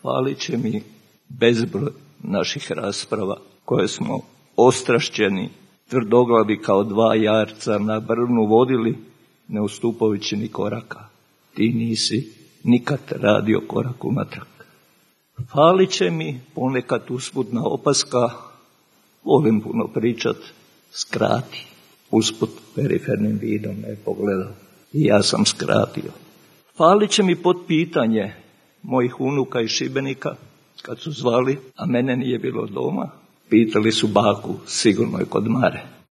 Falit će mi bezbroj naših rasprava koje smo ostrašćeni, tvrdoglavi kao dva jarca na brvnu vodili, ne ustupajući ni koraka. Ti nisi nikad radio korak unatrag. Falit će mi ponekad usputna opaska, volim puno pričat, skrati. Usput perifernim vidom me pogledao i ja sam skratio. Falit će mi pod pitanje mojih unuka iz Šibenika, kad su zvali, a mene nije bilo doma, pitali su baku, sigurno je kod Mare.